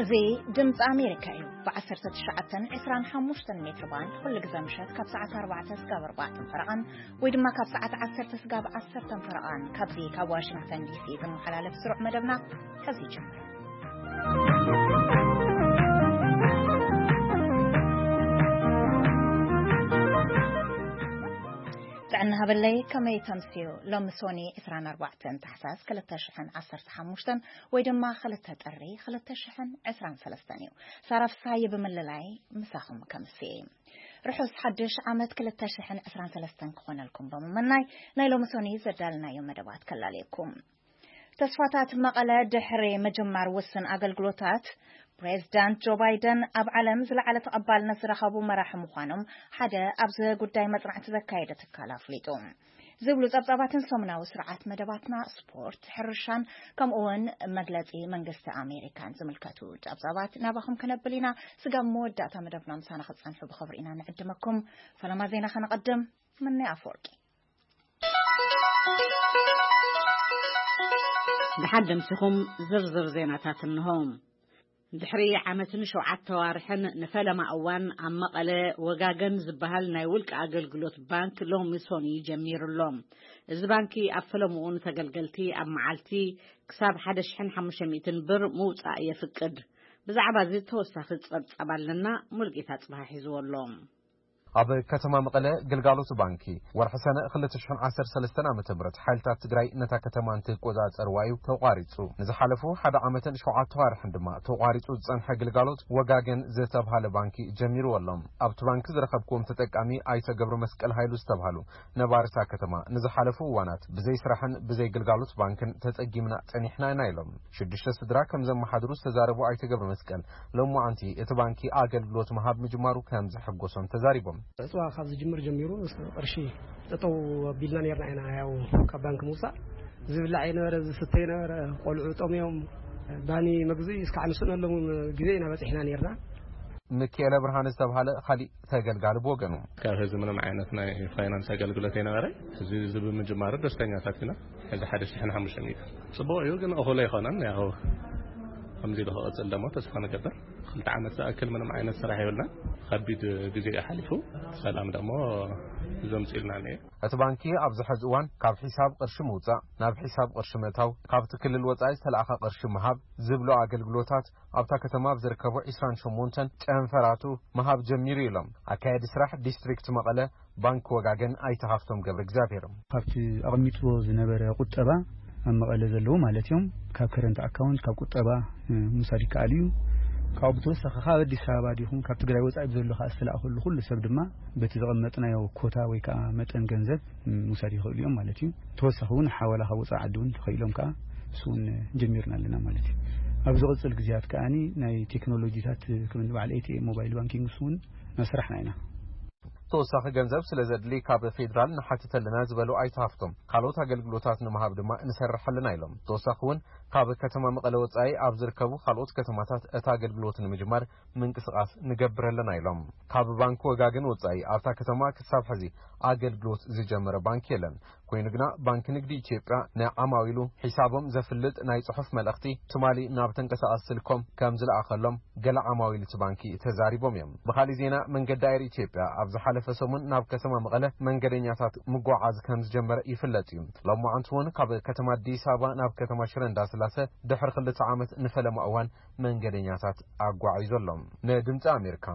እዚ ድምፂ ኣሜሪካ እዩ። ብ19 ን25 ሜትር ባንድ ኩሉ ግዜ ምሸት ካብ ሰዓት ኣርባዕተ ስጋብ ኣርባዕተ ፈረቓን ወይ ድማ ካብ ሰዓት ዓሰርተ ስጋብ ዓሰርተ ፈረቓን ካብዚ ካብ ዋሽንግተን ዲሲ ዝመሓላለፍ ስሩዕ መደብና ሕዚ ይጅምር። ጥዕና ሃበለይ፣ ከመይ ተምስዩ? ሎሚ ሶኒ 24 ታሕሳስ 2015 ወይ ድማ 2 ጥሪ 2023 እዩ። ሳራ ፍስሃየ ብምልላይ ምሳኹም ከምስየ። ርሑስ ሓድሽ ዓመት 2023 ክኾነልኩም ብምምናይ ናይ ሎሚ ሶኒ ዘዳልናዮ መደባት ከላልየኩም። ተስፋታት መቐለ ድሕሪ ምጅማር ውስን ኣገልግሎታት፣ ፕሬዝዳንት ጆ ባይደን ኣብ ዓለም ዝለዓለ ተቐባልነት ዝረኸቡ መራሒ ምዃኖም ሓደ ኣብዚ ጉዳይ መጽናዕቲ ዘካየደ ትካል ኣፍሊጡ። ዝብሉ ጸብጻባትን ሰሙናዊ ስርዓት መደባትና፣ ስፖርት፣ ሕርሻን ከምኡ እውን መግለጺ መንግስቲ ኣሜሪካን ዝምልከቱ ጸብጻባት ናባኹም ከነብል ኢና። ስጋብ መወዳእታ መደብና ምሳና ክትጸንሑ ብኽብሪ ኢና ንዕድመኩም። ፈለማ ዜና ከነቐድም። ምነ ኣፈወርቂ። ደሓን ደምሲኹም። ዝርዝር ዜናታት እንሆ። ድሕሪ ዓመትን ሸውዓተ ዋርሕን ንፈለማ እዋን ኣብ መቐለ ወጋገን ዝበሃል ናይ ውልቂ ኣገልግሎት ባንክ ሎሚ ሶኒ ጀሚሩ ኣሎ። እዚ ባንኪ ኣብ ፈለምኡ ንተገልገልቲ ኣብ መዓልቲ ክሳብ 1,500 ብር ምውፃእ የፍቅድ። ብዛዕባ እዚ ተወሳኺ ጸብጻብ ኣለና። ሙልጌታ ጽባሕ ሒዝዎ ኣሎ። ኣብ ከተማ መቐለ ግልጋሎት ባንኪ ወርሒ ሰነ 2013 ዓ.ም ሓይልታት ትግራይ ነታ ከተማ እንትቆጻጸርዋ እዩ ተቋሪጹ። ንዝሓለፉ ሓደ ዓመትን ሸውዓተ ዋርሕን ድማ ተቋሪጹ ዝጸንሐ ግልጋሎት ወጋገን ዝተብሃለ ባንኪ ጀሚርዎ ኣሎ። ኣብቲ ባንኪ ዝረኸብክዎም ተጠቃሚ ኣይተ ገብረ መስቀል ሃይሉ ዝተብሃሉ ነባሪ እታ ከተማ፣ ንዝሓለፉ እዋናት ብዘይ ስራሕን ብዘይ ግልጋሎት ባንክን ተጸጊምና ጸኒሕና ኢና ኢሎም። ሽዱሽተ ስድራ ከም ዘመሓድሩ ዝተዛረቡ ኣይተ ገብረ መስቀል፣ ሎማዓንቲ እቲ ባንኪ ኣገልግሎት ምሃብ ምጅማሩ ከም ዘሐጎሶም ተዛሪቦም። ዕፅዋ ካብ ዝጅምር ጀሚሩ ቅርሺ ጠጠው ኣቢልና ነርና ኢና። ያው ካብ ባንክ ምውፃእ፣ ዝብላዕ የነበረ፣ ዝስተ የነበረ፣ ቆልዑ ጠምዮም፣ ባኒ መግዙ እስካዕ ንስእነሎም ግዜ ኢና በፂሕና ነርና። ሚካኤለ ብርሃን ዝተብሃለ ካሊእ ተገልጋሊ ብወገኑ፣ ካብ ህዝቢ ምንም ዓይነት ናይ ፋይናንስ ኣገልግሎት ኣይነበረ። እዚ፣ እዚ ብምጅማሩ ደስተኛታት ኢና። እዚ ሓደ ሽሕን ሓሙሽተ ሚእቲ ጽቡቕ እዩ፣ ግን እኹል ኣይኮነን። ያው ከምዚ ኢሉ ክቕጽል ደሞ ተስፋ ንገብር። ክልተ ዓመት ዝኣክል ምንም ዓይነት ስራሕ የብልናን። ከቢድ ግዜ እዩ ሓሊፉ። ሰላም ደሞ ዘምጽእልና እየ። እቲ ባንኪ ኣብዚ ሕዚ እዋን ካብ ሒሳብ ቅርሺ ምውጻእ ናብ ሒሳብ ቅርሺ ምእታው፣ ካብቲ ክልል ወጻኢ ዝተለኣኸ ቅርሺ ምሃብ ዝብሉ ኣገልግሎታት ኣብታ ከተማ ኣብ ዝርከቡ 28 ጨንፈራቱ ምሃብ ጀሚሩ ኢሎም ኣካየዲ ስራሕ ዲስትሪክት መቐለ ባንክ ወጋገን ኣይተ ሃፍቶም ገብረ እግዚኣብሔር። ካብቲ ኣቐሚጥዎ ዝነበረ ቁጠባ ኣብ መቐለ ዘለዉ ማለት እዮም፣ ካብ ከረንት ኣካውንት፣ ካብ ቁጠባ፣ እ፣ ምውሳድ ይከኣል እዩ። ካብኡ ብተወሳኺ ካብ ኣዲስ ኣበባ ዲኹም ካብ ትግራይ ወጻኢ ብዘሎ ከዓ ዝተላእከሉ ኩሉ ሰብ ድማ በቲ ዘቐመጥናዮ ኮታ ወይ ከዓ መጠን ገንዘብ፣ እ፣ ምውሳድ ይኽእሉ እዮም ማለት እዩ። ተወሳኺ እውን ሓዋላ ካብ ወጻኢ ዓዲ እውን ተኸኢሎም ከዓ እሱ እውን ጀሚርና ኣለና ማለት እዩ። ኣብ ዝቕጽል ግዜያት ከዓኒ ናይ ቴክኖሎጂታት ከም በዓል ኤ ቲ ኤም ሞባይል ባንኪንግ እሱ እውን እናሰራሕና ኢና። ተወሳኺ ገንዘብ ስለ ዘድሊ ካብ ፌዴራል ንሓትት ኣለና ዝበሉ ኣይተ ሃፍቶም፣ ካልኦት ኣገልግሎታት ንምሃብ ድማ ንሰርሕ ኣለና ኢሎም። ተወሳኺ እውን ካብ ከተማ መቐለ ወጻኢ ኣብ ዝርከቡ ካልኦት ከተማታት እቲ ኣገልግሎት ንምጅማር ምንቅስቓስ ንገብር ኣለና ኢሎም። ካብ ባንክ ወጋገን ወጻኢ ኣብታ ከተማ ክሳብ ሕዚ ኣገልግሎት ዝጀመረ ባንክ የለን። ኮይኑ ግና ባንክ ንግዲ ኢትዮጵያ ንዓማዊሉ ሒሳቦም ዘፍልጥ ናይ ጽሑፍ መልእኽቲ ትማሊ ናብ ተንቀሳቓሲ ስልኮም ከም ዝለኣኸሎም ገለ ዓማዊል እቲ ባንኪ ተዛሪቦም እዮም። ብኻሊእ ዜና፣ መንገዲ ኣየር ኢትዮጵያ ኣብ ዝሓለፈ ሰሙን ናብ ከተማ መቐለ መንገደኛታት ምጉዓዝ ከም ዝጀመረ ይፍለጥ እዩ። ሎማዓንቲ እውን ካብ ከተማ ኣዲስ ኣበባ ናብ ከተማ ሽረ እንዳስላሰ ድሕሪ ክልተ ዓመት ንፈለማ እዋን መንገደኛታት ኣጓዒዙ ኣሎ። ንድምፂ ኣሜሪካ፣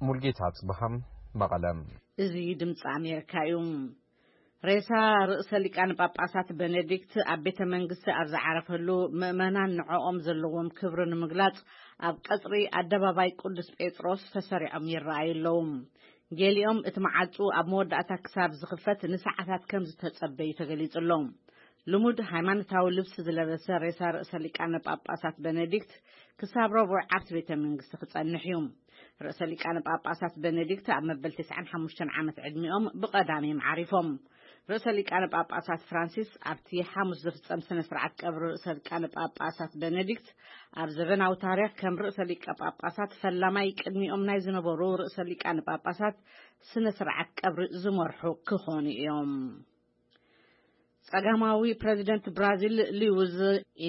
ሙልጌታ ጽብሃም፣ መቐለ። እዚ ድምፂ ኣሜሪካ እዩ። ሬሳ ርእሰ ሊቃነ ጳጳሳት ቤኔዲክት ኣብ ቤተ መንግስቲ ኣብ ዝዓረፈሉ፣ ምእመናን ንዕኦም ዘለዎም ክብሪ ንምግላጽ ኣብ ቀጽሪ ኣደባባይ ቅዱስ ጴጥሮስ ተሰሪዖም ይረኣዩ ኣለዉ። ገሊኦም እቲ መዓጹ ኣብ መወዳእታ ክሳብ ዝኽፈት ንሰዓታት ከም ዝተጸበዩ ተገሊጹ ኣሎ። ልሙድ ሃይማኖታዊ ልብሲ ዝለበሰ ሬሳ ርእሰ ሊቃነ ጳጳሳት ቤኔዲክት ክሳብ ረቡዕ ኣብቲ ቤተ መንግስቲ ክጸንሕ እዩ። ርእሰ ሊቃነ ጳጳሳት ቤኔዲክት ኣብ መበል 95 ዓመት ዕድሚኦም ብቐዳም እዮም ዓሪፎም። ርእሰ ሊቃነ ጳጳሳት ፍራንሲስ ኣብቲ ሓሙስ ዝፍጸም ስነ ስርዓት ቀብሪ ርእሰ ሊቃነ ጳጳሳት ቤኔዲክት ኣብ ዘበናዊ ታሪኽ ከም ርእሰ ሊቀ ጳጳሳት ፈላማይ ቅድሚኦም ናይ ዝነበሩ ርእሰ ሊቃነ ጳጳሳት ስነ ስርዓት ቀብሪ ዝመርሑ ክኾኑ እዮም። ቀዳማዊ ፕረዚደንት ብራዚል ሉዊዝ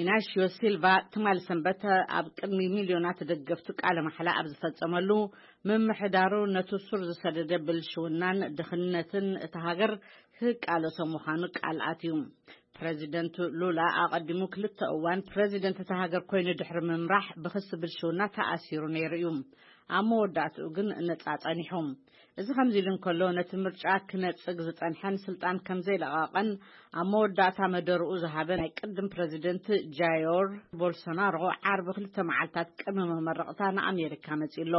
ኢናሽዮ ሲልቫ ትማሊ ሰንበት ኣብ ቅድሚ ሚልዮናት ደገፍቱ ቃለ ማሕላ ኣብ ዝፈጸመሉ፣ ምምሕዳሩ ነቲ ሱር ዝሰደደ ብልሽውናን ድኽነትን እታ ሃገር ክቃለሶ ምዃኑ ቃል ኣትዩ። ፕረዚደንት ሉላ ኣቐዲሙ ክልተ እዋን ፕረዚደንት እታ ሃገር ኮይኑ ድሕሪ ምምራሕ ብኽሲ ብልሽውና ተኣሲሩ ነይሩ እዩ። ኣብ መወዳእትኡ ግን ነጻ ጸኒሑ። እዚ ከምዚ ኢሉ እንከሎ፣ ነቲ ምርጫ ክነጽግ ዝጸንሐን ስልጣን ከም ዘይለቐቐን ኣብ መወዳእታ መደርኡ ዝሃበ ናይ ቅድም ፕረዚደንት ጃዮር ቦልሶናሮ፣ ዓርቢ ክልተ መዓልታት ቅድሚ መመረቕታ ንኣሜሪካ መጺኡ ኣሎ።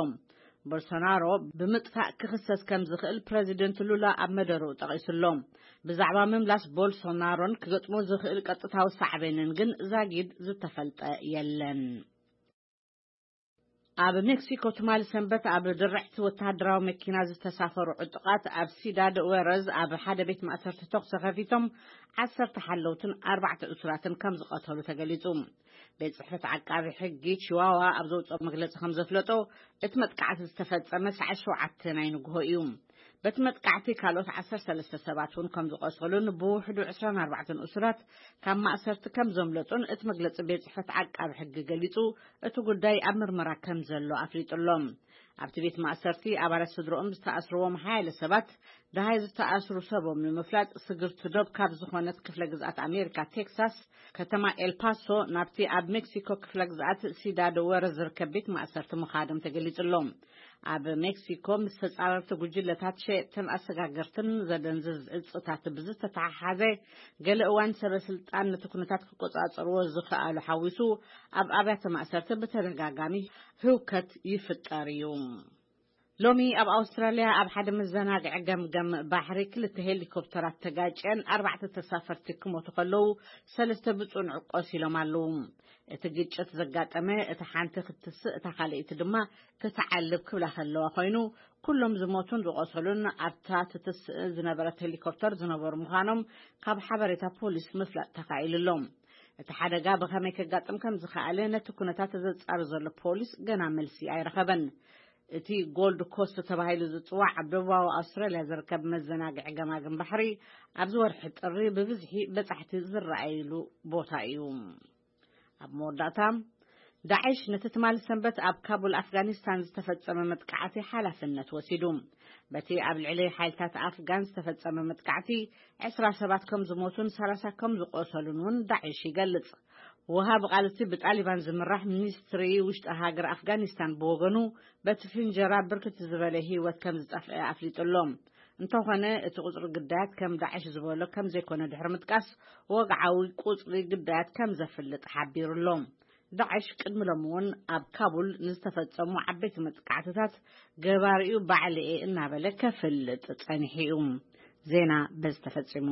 ቦልሶናሮ ብምጥፋእ ክኽሰስ ከም ዝኽእል ፕረዚደንት ሉላ ኣብ መደርኡ ጠቒሱ ኣሎ። ብዛዕባ ምምላስ ቦልሶናሮን ክገጥሞ ዝኽእል ቀጥታዊ ሳዕቤንን ግን ዛጊድ ዝተፈልጠ የለን። ኣብ ሜክሲኮ ትማሊ ሰንበት ኣብ ድርዕቲ ወተሃደራዊ መኪና ዝተሳፈሩ ዕጡቓት ኣብ ሲዳድ ወረዝ ኣብ ሓደ ቤት ማእሰርቲ ተኹሲ ከፊቶም፣ ዓሰርተ ሓለውትን ኣርባዕተ እሱራትን ከም ዝቐተሉ ተገሊጹ። ቤት ጽሕፈት ዓቃቢ ሕጊ ቺዋዋ ኣብ ዘውጽኦ መግለጺ ከም ዘፍለጦ፣ እቲ መጥቃዕቲ ዝተፈጸመ ሰዓት ሸውዓተ ናይ ንግሆ እዩ። በቲ መጥቃዕቲ ካልኦት ዓሰርተ ሰለስተ ሰባት እውን ከም ዝቖሰሉን ብውሕዱ ዕስራን ኣርባዕተን እሱራት ካብ ማእሰርቲ ከም ዘምለጡን እቲ መግለጺ ቤት ጽሕፈት ዓቃቢ ሕጊ ገሊጹ፣ እቲ ጉዳይ ኣብ ምርመራ ከም ዘሎ ኣፍሊጡ ኣሎ። ኣብቲ ቤት ማእሰርቲ ኣባላት ስድሮኦም ዝተኣስርዎም ሓያለ ሰባት፣ ደሃይ ዝተኣስሩ ሰቦም ንምፍላጥ ስግርቲ ዶብ ካብ ዝኾነት ክፍለ ግዝኣት ኣሜሪካ ቴክሳስ፣ ከተማ ኤልፓሶ፣ ናብቲ ኣብ ሜክሲኮ ክፍለ ግዝኣት ሲዳድ ወረ ዝርከብ ቤት ማእሰርቲ ምኻዶም ተገሊጹ ኣሎ። ኣብ ሜክሲኮ ምስ ተጻረርቲ ጉጅለታት ሸየጥትን ኣሰጋገርትን ዘደንዝዝ እጽታት ብዝተተሓሓዘ፣ ገለ እዋን ሰበ ስልጣን ነቲ ኩነታት ክቆጻጸርዎ ዝኸኣሉ ሓዊሱ፣ ኣብ ኣብያተ ማእሰርቲ ብተደጋጋሚ ህውከት ይፍጠር እዩ። ሎሚ ኣብ ኣውስትራልያ ኣብ ሓደ መዘናግዒ ገምገም ባሕሪ ክልተ ሄሊኮፕተራት ተጋጭየን ኣርባዕተ ተሳፈርቲ ክሞቱ ከለዉ፣ ሰለስተ ብጽኑዕ ቆሲሎም ኣለዉ። እቲ ግጭት ዘጋጠመ፣ እታ ሓንቲ ክትስእ፣ እታ ካልኣይቲ ድማ ክትዓልብ ክብላ ከለዋ ኮይኑ፣ ኩሎም ዝሞቱን ዝቆሰሉን ኣብታ ትትስእ ዝነበረት ሄሊኮፕተር ዝነበሩ ምዃኖም ካብ ሓበሬታ ፖሊስ ምፍላጥ ተኻኢሉ ኣሎ። እቲ ሓደጋ ብኸመይ ከጋጥም ከም ዝኸኣለ ነቲ ኩነታት ዘጻሪ ዘሎ ፖሊስ ገና መልሲ ኣይረኸበን። እቲ ጎልድ ኮስት ተባሂሉ ዝጽዋዕ ኣብ ደቡባዊ ኣውስትራልያ ዝርከብ መዘናግዒ ገማግም ባሕሪ፣ ኣብዚ ወርሒ ጥሪ ብብዝሒ በጻሕቲ ዝረኣይሉ ቦታ እዩ። ኣብ መወዳእታ፣ ዳዕሽ ነቲ ትማሊ ሰንበት ኣብ ካቡል ኣፍጋኒስታን ዝተፈጸመ መጥቃዕቲ ሓላፍነት ወሲዱ። በቲ ኣብ ልዕሊ ሓይልታት ኣፍጋን ዝተፈጸመ መጥቃዕቲ፣ ዕስራ ሰባት ከም ዝሞቱን ሰላሳ ከም ዝቆሰሉን እውን ዳዕሽ ይገልጽ። ወሃቢ ቃል እቲ ብጣሊባን ዝምራሕ ሚኒስትሪ ውሽጢ ሃገር ኣፍጋኒስታን ብወገኑ፣ በቲ ፍንጀራ ብርክት ዝበለ ህይወት ከም ዝጠፍአ ኣፍሊጡ ኣሎ። እንተኾነ፣ እቲ ቁጽሪ ግዳያት ከም ዳዕሽ ዝበሎ ከም ዘይኮነ ድሕሪ ምጥቃስ፣ ወግዓዊ ቁጽሪ ግዳያት ከም ዘፍልጥ ሓቢሩ ኣሎ። ዳዕሽ ቅድሚ ሎሚ እውን ኣብ ካቡል ንዝተፈጸሙ ዓበይቲ መጥቃዕትታት ገባሪኡ ባዕለየ እናበለ ከፍልጥ ጸኒሑ እዩ። ዜና በዚ ተፈጺሙ።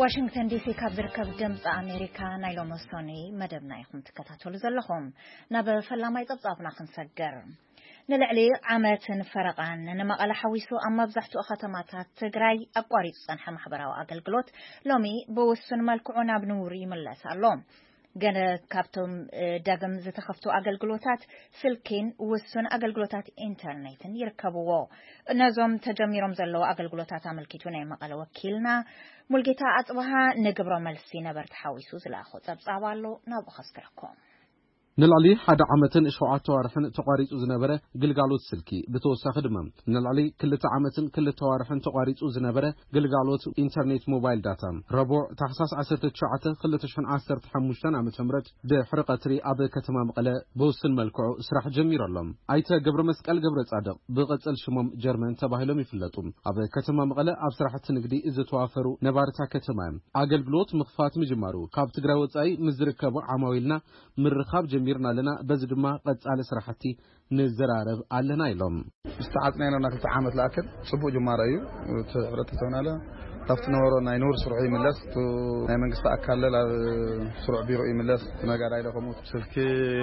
ዋሽንግተን ዲሲ ካብ ዝርከብ ድምፂ ኣሜሪካ ናይ ሎሚ ሰኑይ መደብና ኢኹም ትከታተሉ ዘለኹም። ናብ ፈላማይ ጸብጻብና ክንሰግር። ንልዕሊ ዓመትን ፈረቓን ንመቐለ ሓዊሱ ኣብ መብዛሕትኡ ከተማታት ትግራይ ኣቋሪጹ ዝጸንሐ ማሕበራዊ ኣገልግሎት ሎሚ ብውሱን መልክዑ ናብ ንቡር ይምለስ ኣሎ። ገለ ካብቶም፣ እ፣ ዳግም ዝተኸፍቱ ኣገልግሎታት ስልኪን ውሱን ኣገልግሎታት ኢንተርኔትን ይርከብዎ። ነዞም ተጀሚሮም ዘለዉ ኣገልግሎታት ኣመልኪቱ ናይ መቐለ ወኪልና ሙልጌታ ኣጽብሃ ንግብረ መልሲ ነበርቲ ሓዊሱ ዝለኣኾ ጸብጻብ ኣሎ፣ ናብኡ ከስግረኩም። ንልዕሊ ሓደ ዓመትን ሸውዓተ ዋርሕን ተቋሪጹ ዝነበረ ግልጋሎት ስልኪ፣ ብተወሳኺ ድማ ንልዕሊ ክልተ ዓመትን ክልተ ዋርሕን ተቋሪጹ ዝነበረ ግልጋሎት ኢንተርኔት ሞባይል ዳታ፣ ረቡዕ ታሕሳስ ዓሰርተ ትሽዓተ ክልተ ሽሕን ዓሰርተ ሓሙሽተን ዓመተ ምህረት ድሕሪ ቀትሪ ኣብ ከተማ መቐለ ብውሱን መልክዑ ስራሕ ጀሚሩ ኣሎ። ኣይተ ገብረ መስቀል ገብረ ጻድቕ፣ ብቕጽል ሽሞም ጀርመን ተባሂሎም ይፍለጡ፣ ኣብ ከተማ መቐለ ኣብ ስራሕቲ ንግዲ ዝተዋፈሩ ነባርታ ከተማ እዮም። ኣገልግሎት ምኽፋት ምጅማሩ ካብ ትግራይ ወጻኢ ምስ ዝርከቡ ዓማዊልና ምርኻብ ጀሚርና ኣለና፣ በዚ ድማ ቀጻሊ ስራሕቲ ንዘራረብ ኣለና ኢሎም። ዝተዓጽናዮ ነበርና ክልተ ዓመት ዝኣክል ጽቡቕ ጅማሮ እዩ። እቲ ሕብረተሰብና ለ ካብቲ ነበሮ ናይ ንቡር ስርሑ ይምለስ፣ እቲ ናይ መንግስቲ ኣካል ለ ኣብ ስሩዕ ቢሮ ይምለስ፣ እቲ ነጋዳይ ለ ከምኡ። ስልኪ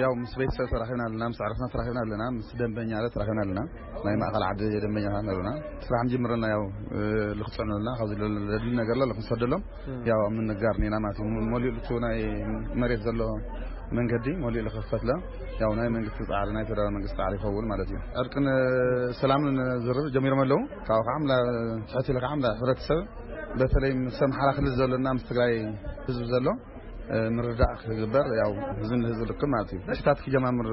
ያው ምስ ቤተሰብ ተራኺብና ኣለና፣ ምስ ዕርክና ተራኺብና ኣለና፣ ምስ ደንበኛ ለ ተራኺብና ኣለና። ናይ ማእኸል ዓዲ ደንበኛ ኣለና። ስራሕ ንጅምር ኣለና፣ ያው ልክጸኑ ኣለና፣ ካብዚ ለድሊ ነገር ለ ክንሰደሎም ያው ኣብ ምንጋር ኔና ማለት እዩ። መሊኡ እቲ ናይ መሬት ዘሎ መንገዲ መሊኡ ልኽፈትለ። ያው ናይ መንግስቲ ጻዕሪ፣ ናይ ፌደራል መንግስቲ ጻዕሪ ይኸውን ማለት እዩ። ዕርቅን ሰላምን ዝርብ ጀሚሮም ኣለዉ። ካብኡ ከዓ ምላ-፣ ትሕት ኢለ ከዓ ምላ-፣ ሕብረተሰብ፣ በተለይ ምስ ኣምሓራ ክልል ዘሎና ምስ ትግራይ ህዝቢ ዘሎ ምርዳእ ክግበር፣ ያው ህዝቢ ንህዝቢ ልክም ማለት እዩ። ሽታት ክጀማምር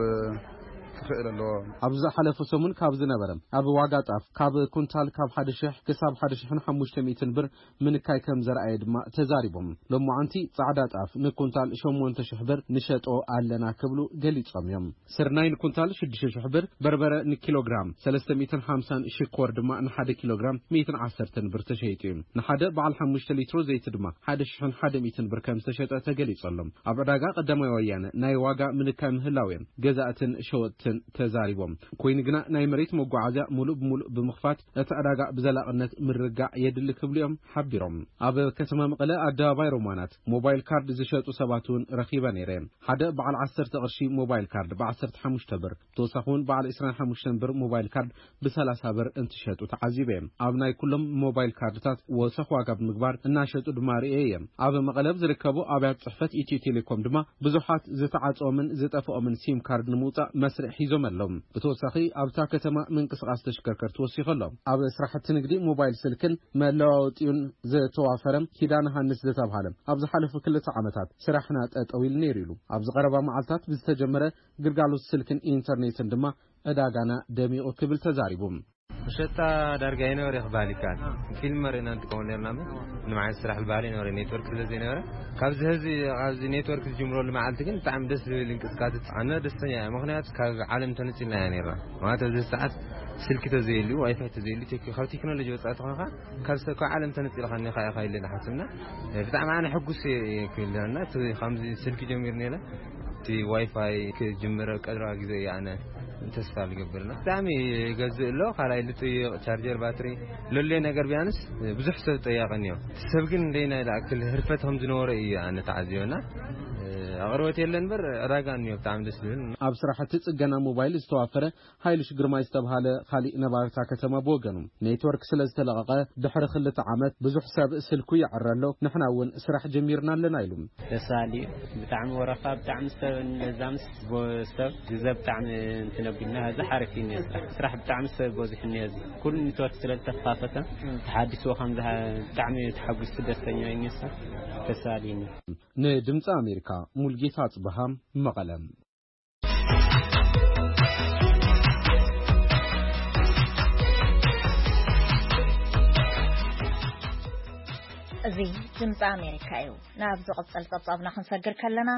ክኽእል ኣለዎ። ኣብ ዝሓለፈ ሰሙን ካብ ዝነበረ ኣብ ዋጋ ጣፍ ካብ ኩንታል ካብ ሓደ ሺሕ ክሳብ ሓደ ሺሕን ሓሙሽተ ሚእትን ብር ምንካይ ከም ዘርኣየ ድማ ተዛሪቦም። ሎማዓንቲ ጻዕዳ ጣፍ ንኩንታል ሸሞንተ ሺሕ ብር ንሸጦ ኣለና ክብሉ ገሊጾም እዮም። ስርናይ ንኩንታል ሽዱሽተ ሺሕ ብር፣ በርበረ ንኪሎግራም ሰለስተ ሚእትን ሓምሳን፣ ሽኮር ድማ ንሓደ ኪሎግራም ሚእትን ዓሰርተን ብር ተሸይጡ እዩ። ንሓደ በዓል ሓሙሽተ ሊትሮ ዘይቲ ድማ ሓደ ሺሕን ሓደ ሚእትን ብር ከም ዝተሸጠ ተገሊጹ ኣሎ። ኣብ ዕዳጋ ቀዳማይ ወያነ ናይ ዋጋ ምንካይ ምህላው እዮም ገዛእትን ሸወጥትን ተዛሪቦም። ኮይኑ ግና ናይ መሬት መጓዓዝያ ሙሉእ ብሙሉእ ብምኽፋት እቲ ዕዳጋ ብዘላቕነት ምርጋዕ የድሊ ክብሉ እዮም ሓቢሮም። ኣብ ከተማ መቐለ ኣደባባይ ሮማናት ሞባይል ካርድ ዝሸጡ ሰባት እውን ረኺበ ነይረ። ሓደ በዓል ዓሰርተ ቅርሺ ሞባይል ካርድ ብ ዓሰርተ ሓሙሽተ ብር፣ ብተወሳኺ እውን በዓል ዕስራን ሓሙሽተን ብር ሞባይል ካርድ ብ ሰላሳ ብር እንትሸጡ ተዓዚበ። ኣብ ናይ ኩሎም ሞባይል ካርድታት ወሰኽ ዋጋ ብምግባር እናሸጡ ድማ ርእየ እየ። ኣብ መቐለ ኣብ ዝርከቡ ኣብያት ጽሕፈት ኢትዮ ቴሌኮም ድማ ብዙሓት ዝተዓጽኦምን ዝጠፍኦምን ሲም ካርድ ንምውጻእ መስርዕ ሒዞም ኣለዉ። ብተወሳኺ ኣብታ ከተማ ምንቅስቓስ ተሽከርከርቲ ወሲኹ ኣሎ። ኣብ ስራሕቲ ንግዲ ሞባይል ስልክን መለዋወጢኡን ዝተዋፈረ ኪዳነ ሃንስ ዝተባህለ ኣብ ዝሓለፉ ክልተ ዓመታት ስራሕና ጠጠው ኢሉ ነይሩ ኢሉ። ኣብዚ ቀረባ መዓልታት ብዝተጀመረ ግልጋሎት ስልክን ኢንተርኔትን ድማ ዕዳጋና ደሚቑ ክብል ተዛሪቡ። መሸጣ ዳርጋ ኣይነበረ ክበሃል ይከኣል። ፊልም መሪእና ንጥቀመሉ ነርና እምበር፣ ምንም ዓይነት ስራሕ ዝበሃል ኣይነበረ፣ ኔትወርክ ስለ ዘይነበረ። ካብዚ ህዚ፣ ካብዚ ኔትወርክ ዝጅምረሉ መዓልቲ ግን ብጣዕሚ ደስ ዝብል እንቅስቃሴ፣ ኣነ ደስተኛ እየ። ምኽንያቱ ካብ ዓለም ተነጺልና ኢና ነርና። ማለት ኣብዚ ሰዓት ስልኪ ተዘየልዩ፣ ዋይፋይ ተዘየልዩ፣ ቴክ-፣ ካብ ቴክኖሎጂ ወጻኢ ተኾንካ፣ ካብ ሰ-፣ ካብ ዓለም ተነጺልካ እኒኻ ኢኻ ኢለ ንሓስብና። ብጣዕሚ ኣነ ሕጉስ እየ ክብል እና፣ እቲ ከምዚ ስልኪ ጀሚሩ ነይረ፣ እቲ ዋይፋይ ክጅምር ቀድራ ግዜ እየ ኣነ ተስፋ ዝገብርና። ብጣዕሚ ይገዝእ ኣሎ። ካልኣይ ልጥይቕ፣ ቻርጀር፣ ባትሪ፣ ለሎየ ነገር ቢያንስ ብዙሕ ሰብ ጠያቂ እኒኦ። እቲ ሰብ ግን እንደይና ይልኣክል ህርፈት ከም ዝነበረ እዩ ኣነ ተዓዚበና። ኣቕርቦት የለን እምበር ዕዳጋ እኒኦ። ብጣዕሚ ደስ ዝብል። ኣብ ስራሕቲ ጽገና ሞባይል ዝተዋፈረ ሃይልሽ ግርማይ ዝተባሃለ ካሊእ ነባሪ እታ ከተማ ብወገኑ፣ ኔትወርክ ስለ ዝተለቐቐ ድሕሪ ክልተ ዓመት ብዙሕ ሰብ ስልኩ ይዕረ ኣሎ፣ ንሕና እውን ስራሕ ጀሚርና ኣለና ኢሉ። ደስ በሃሊ እዩ። ብጣዕሚ ወረፋ፣ ብጣዕሚ ሰብ፣ ነዛ ምስ ቦ-፣ ሰብ ግዘ ብጣዕሚ እንትን ኣቢልና፣ እዚ ሓሪፍ እዩ እኒኦ ስራሕ። ስራሕ ብጣዕሚ ሰብ በዚሑ እኒኦ፣ እዚ ኩሉ ኔትወርክ ስለ ዝተኸፋፈተ፣ ተሓዲስዎ ከም ዝሃ-፣ ብጣዕሚ ተሓጒሱ ደስተኛ እዩ እኒኦ ስራሕ። ደስ በሃሊ እዩ እኒኦ። ንድምፂ ኣሜሪካ ሙልጌታ ኣፅበሃ መቐለ። እዚ ድምፂ ኣሜሪካ እዩ። ናብ ዝቕጽል ጸብጻብና ክንሰግር ከለና፣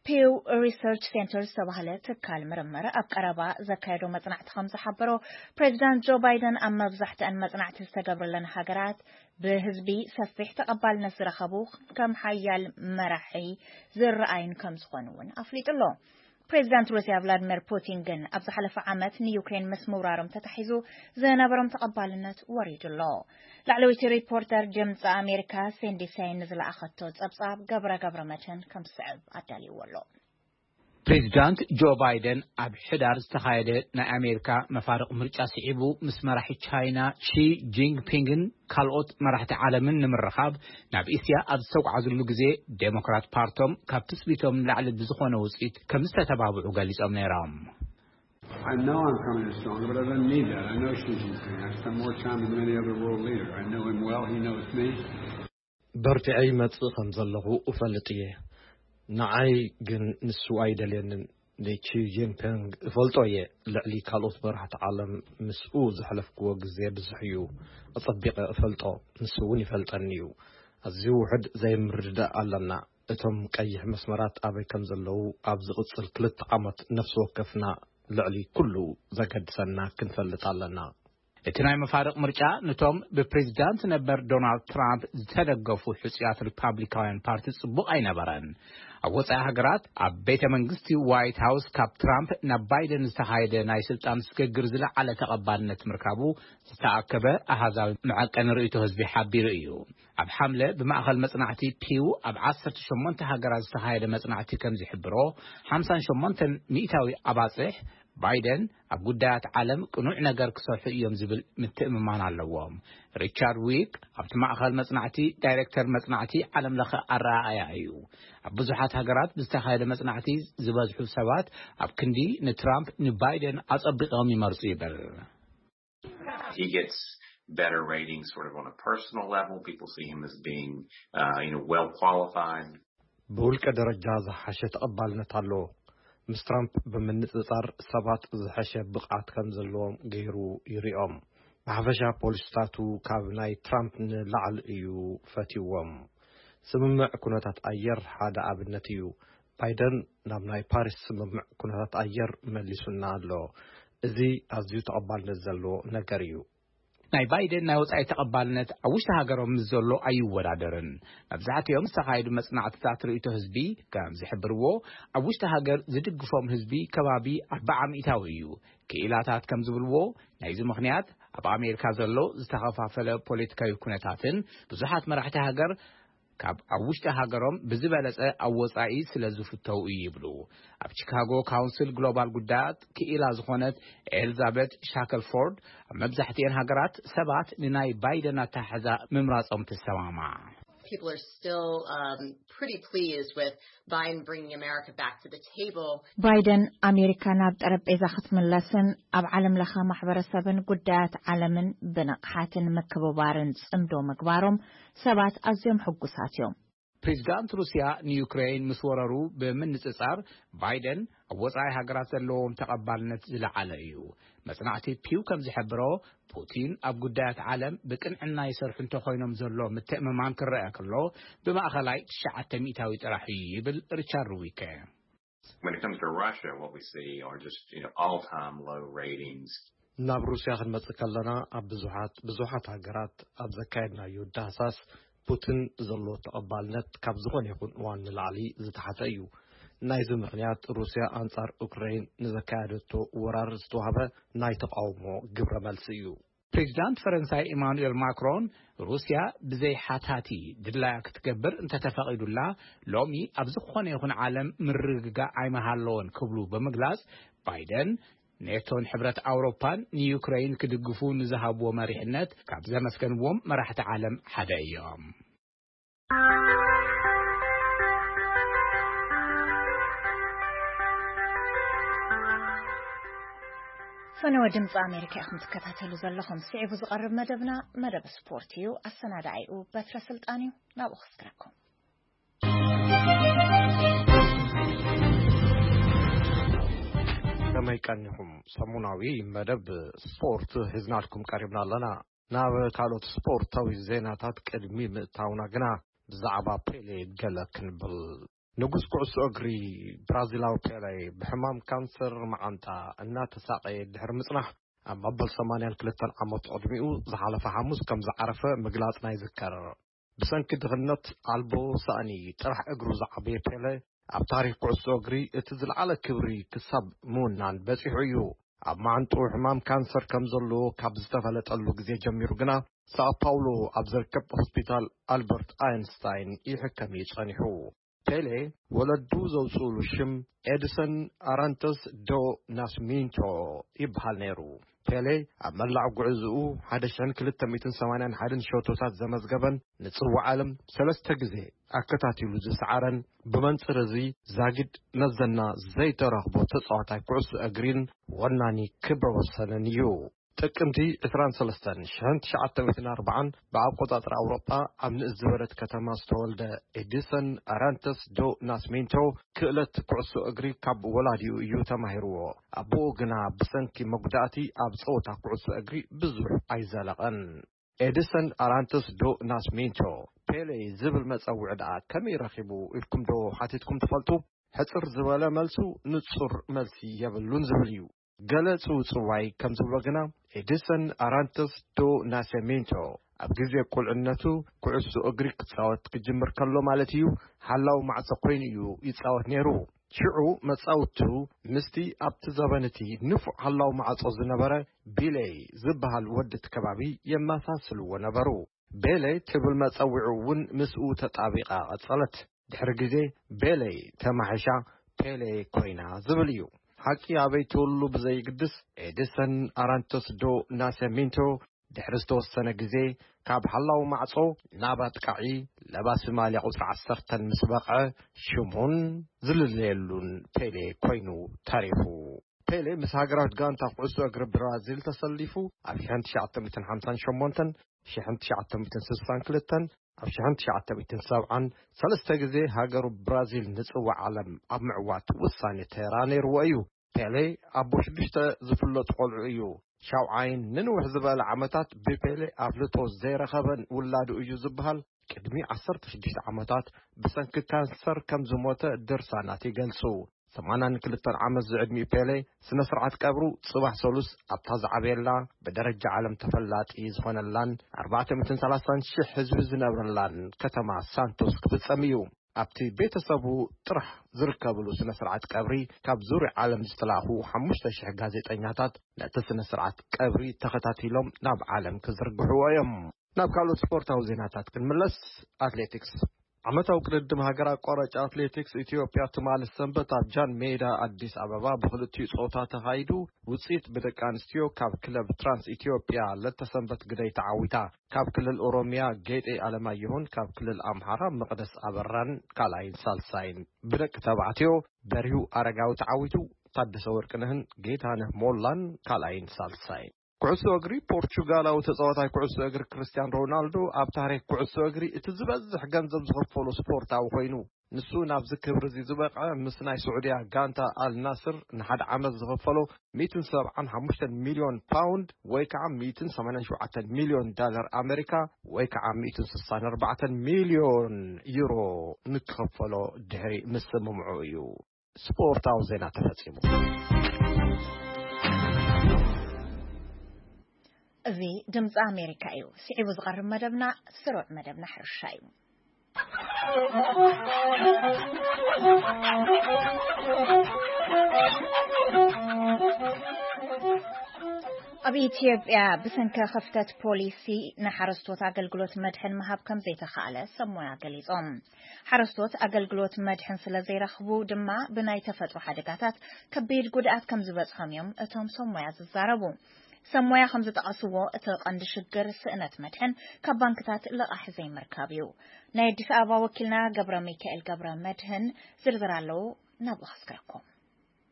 ፒው ሪሰርች ሴንተር ዝተባህለ ትካል ምርምር ኣብ ቀረባ ዘካየዶ መጽናዕቲ ከም ዝሓበሮ፣ ፕሬዚዳንት ጆ ባይደን ኣብ መብዛሕትአን መጽናዕቲ ዝተገብረለን ሃገራት ብህዝቢ ሰፊሕ ተቐባልነት ዝረኸቡ ከም ሓያል መራሒ ዝረኣዩን ከም ዝኾኑ እውን ኣፍሊጡ ኣሎ። ፕሬዚዳንት ሩስያ ቭላድሚር ፑቲን ግን ኣብ ዝሓለፈ ዓመት ንዩክሬን ምስ ምውራሮም ተታሒዙ ዝነበሮም ተቐባልነት ወሪዱ ኣሎ። ላዕለወይቲ ሪፖርተር ድምፂ ኣሜሪካ ሲንዲ ሳይን ንዝለኣኸቶ ጸብጻብ ገብረ ገብረ መድህን ከም ዝስዕብ ኣዳልይዎ ኣሎ። ፕሬዚዳንት ጆ ባይደን ኣብ ሕዳር ዝተኻየደ ናይ ኣሜሪካ መፋርቕ ምርጫ ስዒቡ ምስ መራሒ ቻይና ሺ ጂንፒንግን ካልኦት መራሕቲ ዓለምን ንምርኻብ ናብ እስያ ኣብ ዝተጓዓዝሉ ግዜ፣ ዴሞክራት ፓርቶም ካብ ትጽቢቶም ንላዕሊ ብዝኾነ ውጽኢት ከም ዝተተባብዑ ገሊጾም ነይሮም። I know I'm coming in stronger, but I don't need that. I know Xi Jinping. I've spent more time with any other world leader. I know him well. He knows me. በርቲዐ ይመጽእ ከም ዘለኹ እፈልጥ እየ። ንዓይ ግን ንሱ ኣይደልየንን። ንቺ ጂንፒንግ እፈልጦ እየ። ልዕሊ ካልኦት መራሕቲ ዓለም ምስኡ ዘሕለፍክዎ ግዜ ብዙሕ እዩ። ኣጸቢቐ እፈልጦ፣ ንሱ እውን ይፈልጠኒ እዩ። ኣዝዩ ውሑድ ዘይምርድዳእ ኣለና። እቶም ቀይሕ መስመራት ኣበይ ከም ዘለዉ ኣብ ዝቕጽል ክልተ ዓመት ነፍሲ ወከፍና ልዕሊ ኩሉ ዘገድሰና ክንፈልጥ ኣለና። እቲ ናይ መፋርቕ ምርጫ ነቶም ብፕሬዚዳንት ነበር ዶናልድ ትራምፕ ዝተደገፉ ሕጹያት ሪፓብሊካውያን ፓርቲ ጽቡቕ ኣይነበረን። ኣብ ወጻኢ ሃገራት ኣብ ቤተ መንግስቲ ዋይት ሃውስ ካብ ትራምፕ ናብ ባይደን ዝተኻየደ ናይ ስልጣን ስግግር ዝለዓለ ተቐባልነት ምርካቡ ዝተኣከበ ኣሃዛዊ መዐቀኒ ርእይቶ ህዝቢ ሓቢሩ እዩ። ኣብ ሓምለ ብማእኸል መጽናዕቲ ፒው ኣብ ዓሰርተ ሸሞንተ ሃገራት ዝተኻየደ መጽናዕቲ ከም ዝሕብሮ፣ ሓምሳን ሸሞንተን ሚእታዊ ኣባጽሕ ባይደን ኣብ ጉዳያት ዓለም ቅኑዕ ነገር ክሰርሑ እዮም ዝብል ምትእምማን ኣለዎም። ሪቻርድ ዊክ ኣብቲ ማእኸል መጽናዕቲ ዳይሬክተር መጽናዕቲ ዓለም ለኸ ኣረኣእያ እዩ። ኣብ ብዙሓት ሃገራት ብዝተኻየደ መጽናዕቲ ዝበዝሑ ሰባት ኣብ ክንዲ ንትራምፕ ንባይደን ኣጸቢቖም ይመርጹ ይብል። He gets better ratings sort of on a personal level. People see him as being, uh, you know, well qualified. ብውልቀ ደረጃ ዝሓሸ ተቐባልነት ኣለዎ። ምስ ትራምፕ ብምንጽጻር ሰባት ዝሐሸ ብቕዓት ከም ዘለዎም ገይሩ ይሪኦም። ብሓፈሻ ፖሊስታቱ ካብ ናይ ትራምፕ ንላዕሊ እዩ ፈትይዎም። ስምምዕ ኩነታት ኣየር ሓደ ኣብነት እዩ። ባይደን ናብ ናይ ፓሪስ ስምምዕ ኩነታት ኣየር መሊሱና ኣሎ። እዚ ኣዝዩ ተቐባልነት ዘለዎ ነገር እዩ። ናይ ባይደን ናይ ወጻኢ ተቐባልነት ኣብ ውሽጢ ሃገሮም ምስ ዘሎ ኣይወዳደርን። መብዛሕትኦም ዝተኻየዱ መጽናዕትታት ርእይቶ ህዝቢ ከም ዝሕብርዎ፣ ኣብ ውሽጢ ሃገር ዝድግፎም ህዝቢ ከባቢ ኣርባዓ ሚእታዊ እዩ። ክኢላታት ከም ዝብልዎ፣ ናይዚ ምኽንያት ኣብ ኣሜሪካ ዘሎ ዝተኸፋፈለ ፖለቲካዊ ኩነታትን ብዙሓት መራሕቲ ሃገር ካብ ኣብ ውሽጢ ሃገሮም ብዝበለጸ ኣብ ወጻኢ ስለ ዝፍተው እዩ ይብሉ። ኣብ ቺካጎ ካውንስል ግሎባል ጉዳያት ክኢላ ዝኾነት ኤልዛቤት ሻከልፎርድ፣ ኣብ መብዛሕትኤን ሃገራት ሰባት ንናይ ባይደን ኣተሓሕዛ ምምራጾም ትሰማማዕ። People are still um, pretty pleased with Biden bringing America back to the table. ባይደን ኣሜሪካ ናብ ጠረጴዛ ክትምለስን ኣብ ዓለም ለኸ ማሕበረሰብን ጉዳያት ዓለምን ብንቕሓትን ምክብባርን ጽምዶ ምግባሮም ሰባት ኣዝዮም ሕጉሳት እዮም። ፕሬዚዳንት ሩስያ ንዩክሬን ምስ ወረሩ ብምንጽጻር፣ ባይደን ኣብ ወጻኢ ሃገራት ዘለዎም ተቐባልነት ዝለዓለ እዩ። መጽናዕቲ ፒው ከም ዝሕብሮ፣ ፑቲን ኣብ ጉዳያት ዓለም ብቅንዕና ይሰርሑ እንተኾይኖም ዘሎ ምትእምማን ክረአ ከሎ፣ ብማእኸላይ ትሽዓተ ሚእታዊ ጥራሕ እዩ ይብል ሪቻርድ ዊከ። When it comes to Russia, what we see are just, you know, all-time low ratings. ናብ ሩስያ ክንመጽእ ከለና፣ ኣብ ብዙሓት ብዙሓት ሃገራት ኣብ ዘካየድናዮ ዳህሳስ፣ ፑቲን ዘለዎ ተቐባልነት ካብ ዝኾነ ይኹን እዋን ንላዕሊ ዝተሓተ እዩ። ናይዚ ምኽንያት፣ ሩስያ ኣንጻር ኡክራይን ንዘካየደቶ ወራር ዝተዋህበ ናይ ተቓውሞ ግብረ መልሲ እዩ። ፕሬዚዳንት ፈረንሳይ ኢማኑኤል ማክሮን፣ ሩስያ ብዘይ ሓታቲ ድላያ ክትገብር እንተተፈቒዱላ፣ ሎሚ ኣብ ዝኾነ ይኹን ዓለም ምርግጋእ ኣይመሃለዎን ክብሉ ብምግላጽ፣ ባይደን ኔቶን ሕብረት ኣውሮፓን ንዩክሬን ክድግፉ ንዝሃብዎ መሪሕነት ካብ ዘመስገንዎም መራሕቲ ዓለም ሓደ እዮም። ፈነወ ድምፂ ኣሜሪካ ኢኹም ትከታተሉ ዘለኹም። ስዒቡ ዝቐርብ መደብና መደብ ስፖርት እዩ። ኣሰናዳኢኡ በትረ ስልጣን እዩ። ናብኡ ክስግረኩም። ከመይ ቀኒኹም? ሰሙናዊ መደብ ስፖርት ሒዝናልኩም ቀሪብና ኣለና። ናብ ካልኦት ስፖርታዊ ዜናታት ቅድሚ ምእታውና ግና፣ ብዛዕባ ፔሌ ገለ ክንብል። ንጉስ ኩዕሶ እግሪ ብራዚላዊ ፔሌ ብሕማም ካንሰር መዓንጣ እናተሳቐየ ድሕሪ ምጽናሕ፣ ኣብ መበል ሰማንያን ክልተን ዓመት ዕድሚኡ ዝሓለፈ ሓሙስ ከም ዝዓረፈ ምግላጽና ይዝከር። ብሰንኪ ድኽነት ኣልቦ ሳእኒ ጥራሕ እግሩ ዝዓበየ ፔለ፣ ኣብ ታሪኽ ኩዕሶ እግሪ እቲ ዝለዓለ ክብሪ ክሳብ ምውናን በጺሑ እዩ። ኣብ መዓንጥኡ ሕማም ካንሰር ከም ዘለዎ ካብ ዝተፈለጠሉ ግዜ ጀሚሩ ግና፣ ሳኦ ፓውሎ ኣብ ዝርከብ ሆስፒታል ኣልበርት ኣየንስታይን ይሕከም እዩ ጸኒሑ። ፔሌ ወለዱ ዘውጽኡሉ ሽም ኤድሰን ኣራንተስ ዶ ናስሚንቶ ይበሃል ነይሩ። ፔሌ ኣብ መላእ ጉዕዝኡ ሓደ ሽሕን ክልተ ሚእትን ሰማንያን ሓደን ሸቶታት ዘመዝገበን፣ ንጽዋዕ ዓለም ሰለስተ ግዜ ኣከታቲሉ ዝሰዓረን፣ ብመንጽር እዚ ዛጊድ መዘና ዘይተረኽቦ ተጻዋታይ ኩዕሶ እግሪን ወናኒ ክብረ ወሰንን እዩ። ጥቅምቲ ዕስራን ሰለስተን ሽሕን ትሽዓተ ሚእትን ኣርባዓን ብኣቆጻጽራ ኣውሮጳ ኣብ ንእስ ዝበለት ከተማ ዝተወልደ ኤዲሰን ኣራንተስ ዶ ናስሜንቶ ክእለት ኩዕሶ እግሪ ካብ ወላዲኡ እዩ ተማሂርዎ። ኣቦኡ ግና ብሰንኪ መጉዳእቲ ኣብ ጸወታ ኩዕሶ እግሪ ብዙሕ ኣይዘለቐን። ኤዲሰን ኣራንተስ ዶ ናስሜንቶ ፔሌ ዝብል መጸውዒ ደኣ ከመይ ረኺቡ ኢልኩም ዶ ሓቲትኩም ትፈልጡ? ሕጽር ዝበለ መልሱ ንጹር መልሲ የብሉን ዝብል እዩ። ገለ ጽውጽዋይ ከም ዝብሎ ግና፣ ኤዲሰን ኣራንተስ ዶ ናሰሜንቶ ኣብ ግዜ ቁልዕነቱ ኩዕሶ እግሪ ክጻወት ክጅምር ከሎ ማለት እዩ፣ ሓላው ማዕጾ ኮይኑ እዩ ይጻወት ነይሩ። ሽዑ መጻውቱ ምስቲ ኣብቲ ዘበን እቲ ንፉዕ ሓላው ማዕጾ ዝነበረ ቢሌይ ዝበሃል ወዲ እቲ ከባቢ የመሳስልዎ ነበሩ። ቤሌ ትብል መጸውዒ እውን ምስኡ ተጣቢቓ ቀጸለት። ድሕሪ ግዜ ቤሌ ተማሒሻ ፔሌ ኮይና ዝብል እዩ። ሓቂ ኣበይ ትውሉ ብዘይግድስ፣ ኤዲሰን ኣራንቶስ ዶ ናሰሚንቶ ድሕሪ ዝተወሰነ ግዜ ካብ ሓላው ማዕጾ ናብ ኣጥቃዒ ለባሲ ማልያ ቁጽሪ ዓሰርተ ምስ በቕዐ፣ ሽሙን ዝልለየሉን ፔሌ ኮይኑ ተሪፉ። ፔሌ ምስ ሃገራዊት ጋንታ ኩዕሶ እግሪ ብራዚል ተሰሊፉ፣ ኣብ ሽሕን ትሽዓተ ሚእትን ሓምሳን ሸሞንተን፣ ሽሕን ትሽዓተ ሚእትን ስሳን ክልተን፣ ኣብ ሽሕን ትሽዓተ ሚእትን ሰብዓን ሰለስተ ግዜ ሃገሩ ብራዚል ንጽዋዕ ዓለም ኣብ ምዕዋት ውሳኔ ተራ ነይርዎ እዩ። ፔሌ ኣቦ ሽዱሽተ ዝፍለጡ ቆልዑ እዩ። ሻውዓይን ንንውሕ ዝበለ ዓመታት ብፔሌ ኣፍልጦ ዘይረኸበን ውላዱ እዩ ዝበሃል። ቅድሚ ዓሰርተ ሽዱሽተ ዓመታት ብሰንኪ ካንሰር ከም ዝሞተ ድርሳናት ይገልጹ። ሰማንያን ክልተን ዓመት ዝዕድሚኡ ፔሌ ስነ ስርዓት ቀብሩ ጽባሕ ሰሉስ ኣብታ ዝዓበየላ ብደረጃ ዓለም ተፈላጢ ዝኾነላን ኣርባዕተ ሚእትን ሰላሳን ሽሕ ህዝቢ ዝነብረላን ከተማ ሳንቶስ ክፍጸም እዩ። ኣብቲ ቤተሰቡ ጥራሕ ዝርከብሉ ስነ ስርዓት ቀብሪ ካብ ዙርያ ዓለም ዝተላእኹ ሓሙሽተ ሽሕ ጋዜጠኛታት ነቲ ስነ ስርዓት ቀብሪ ተኸታቲሎም ናብ ዓለም ክዝርግሕዎ እዮም። ናብ ካልኦት ስፖርታዊ ዜናታት ክንምለስ፣ ኣትሌቲክስ። ዓመታዊ ቅድድም ሃገር ኣቋራጭ ኣትሌቲክስ ኢትዮጵያ ትማሊ ሰንበት ኣብ ጃን ሜዳ ኣዲስ ኣበባ ብክልቲኡ ጾታ ተኻይዱ፣ ውጽኢት ብደቂ ኣንስትዮ ካብ ክለብ ትራንስ ኢትዮጵያ ለተሰንበት ግደይ ተዓዊታ። ካብ ክልል ኦሮሚያ ጌጤ ኣለማየሁን ካብ ክልል ኣምሓራ መቕደስ ኣበራን ካልኣይን ሳልሳይን፣ ብደቂ ተባዕትዮ በሪሁ ኣረጋዊ ተዓዊቱ፣ ታደሰ ወርቅነህን ጌታነህ ሞላን ካልኣይን ሳልሳይን። ኩዕሶ እግሪ። ፖርቹጋላዊ ተጻዋታይ ኩዕሶ እግሪ ክርስቲያን ሮናልዶ ኣብ ታሪክ ኩዕሶ እግሪ እቲ ዝበዝሕ ገንዘብ ዝኸፈሎ ስፖርታዊ ኮይኑ፣ ንሱ ናብዚ ክብሪ እዚ ዝበቕዐ ምስ ናይ ስዑድያ ጋንታ ኣል ናስር ንሓደ ዓመት ዝኸፈሎ ሚእትን ሰብዓን ሓሙሽተን ሚልዮን ፓውንድ ወይ ከዓ ሚእትን ሰማንያን ሸውዓተን ሚልዮን ዳላር ኣሜሪካ ወይ ከዓ ሚእትን ስሳን ኣርባዕተን ሚልዮን ዩሮ ንክኸፈሎ ድሕሪ ምስምምዑ እዩ። ስፖርታዊ ዜና ተፈጺሙ። እዚ ድምፂ ኣሜሪካ እዩ። ስዒቡ ዝቐርብ መደብና ስሩዕ መደብና ሕርሻ እዩ። ኣብ ኢትዮጵያ ብሰንኪ ክፍተት ፖሊሲ ንሓረስቶት ኣገልግሎት መድሕን ምሃብ ከም ዘይተኻእለ ሰብ ሞያ ገሊጾም። ሓረስቶት ኣገልግሎት መድሕን ስለ ዘይረኽቡ ድማ ብናይ ተፈጥሮ ሓደጋታት ከቢድ ጉድኣት ከም ዝበጽሖም እዮም እቶም ሰብ ሞያ ዝዛረቡ። ሰብ ሞያ ከም ዝጠቐስዎ እቲ ቀንዲ ሽግር ስእነት መድሕን ካብ ባንክታት ልቓሕ ዘይምርካብ እዩ። ናይ ኣዲስ ኣበባ ወኪልና ገብረ ሚካኤል ገብረ መድህን ዝርዝር ኣለዎ፣ ናብኡ ከስግረኩም።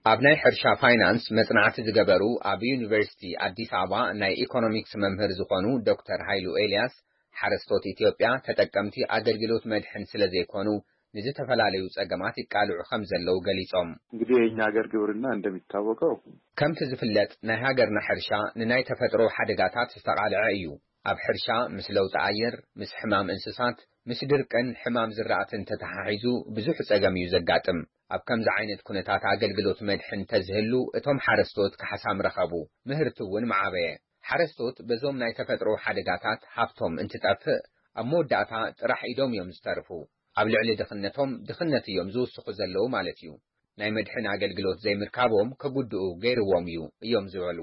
ኣብ ናይ ሕርሻ ፋይናንስ መጽናዕቲ ዝገበሩ ኣብ ዩኒቨርሲቲ ኣዲስ ኣበባ ናይ ኢኮኖሚክስ መምህር ዝኾኑ ዶክተር ሃይሉ ኤልያስ፣ ሓረስቶት ኢትዮጵያ ተጠቀምቲ ኣገልግሎት መድሕን ስለ ዘይኮኑ ንዝተፈላለዩ ጸገማት ይቃልዑ ከም ዘለዉ ገሊጾም። እንግዲህ የእኛ ሀገር ግብርና እንደሚታወቀው ከምቲ ዝፍለጥ ናይ ሃገርና ሕርሻ ንናይ ተፈጥሮ ሓደጋታት ዝተቓልዐ እዩ። ኣብ ሕርሻ ምስ ለውጢ ኣየር፣ ምስ ሕማም እንስሳት፣ ምስ ድርቅን ሕማም ዝራእትን ተተሓሒዙ ብዙሕ ጸገም እዩ ዘጋጥም። ኣብ ከምዚ ዓይነት ኩነታት ኣገልግሎት መድሕን ተዝህሉ እቶም ሓረስቶት ካሕሳ ምረኸቡ፣ ምህርቲ እውን ምዓበየ። ሓረስቶት በዞም ናይ ተፈጥሮ ሓደጋታት ሃፍቶም እንትጠፍእ ኣብ መወዳእታ ጥራሕ ኢዶም እዮም ዝተርፉ። ኣብ ልዕሊ ድኽነቶም ድኽነት እዮም ዝውስኹ ዘለዉ ማለት እዩ። ናይ መድሕን ኣገልግሎት ዘይምርካቦም ከጉድኡ ገይርዎም እዩ እዮም ዝበሉ።